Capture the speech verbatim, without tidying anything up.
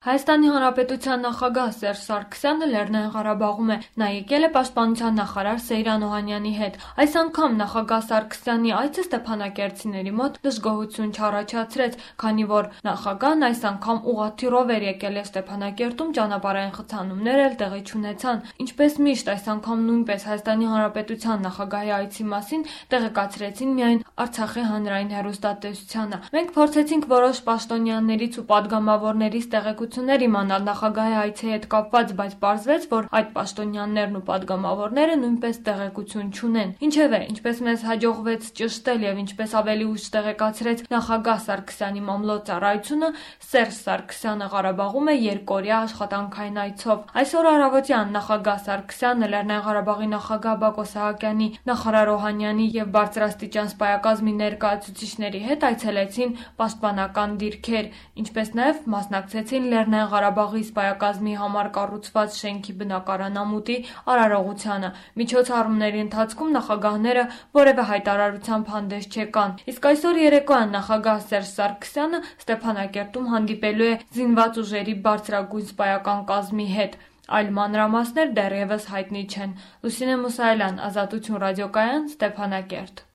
Հայաստանի Հանրապետության նախագահ Սերժ Սարգսյանը Լեռնային Ղարաբաղում է, նա եկել է պաշտպանության նախարար Սեյրան Օհանյանի հետ։ Այս անգամ նախագահ Սարգսյանի այցը ստեփանակերտցիների մոտ դժգոհություն չառաջացրեց, քանի որ նախագահն այս անգամ ուղղաթիռով էր եկել է Ստեփանակերտում, ճանապարհային խցանումներ էլ տեղի չունեցան։ Ինչպես միշտ, այս անգամ նույնպես Հայաստանի Հանրապետության նախագահի այցի մասին տեղեկացրեցին միայն Արցախի հանրային հեռուստատեսությանը։ Մենք փորձեցինք որոշ պաշտոնյաներից ու պատգամավորներից տեղեկություններ իմանալ նախագահի այցի հետ կապված, բայց պարզվեց, որ այդ պաշտոնյաներն ու պատգամավորները նույնպես տեղեկություն չունեն։ Ինչևէ, ինչպես մեզ հաջողվեց ճշտել եւ ինչպես ավելի ուշ տեղեկացրեց նախագահ Սարգսյանի մամլոյ ծառայությունը, Սերժ Սարգսյանը Ղարաբաղում է երկօրյա աշխատանքային այցով։ Այսօր առավոտյան նախագահ Սարգսյանը Լեռնային Ղարաբաղի նախագահ Բակո Սահակյանի, նախարար Օհանյանի եւ բարձրաստիճան սպայակազմի ներկայացուցիչների հետ այցելեցին պաշտպանական դիրքեր, ինչպես նաեւ մասնակցեցին Լեռնային Ղարաբաղի սպայակազմի համար կառուցված շենքի բնակարանամուտի արարողությանը։ Միջոցառումների ընթացքում նախագահները որևէ հայտարարությամբ հանդես չեկան։ Իսկ այսօր երեկոյան նախագահ Սերժ Սարգսյանը Ստեփանակերտում հանդիպելու է զինված ուժերի բարձրագույն սպայական կազմի հետ։ Այլ մանրամասներ դեռևս հայտնի չեն։ Լուսինե Մուսայելյան, Ազատություն ռադիոկայան, Ստեփանակերտ։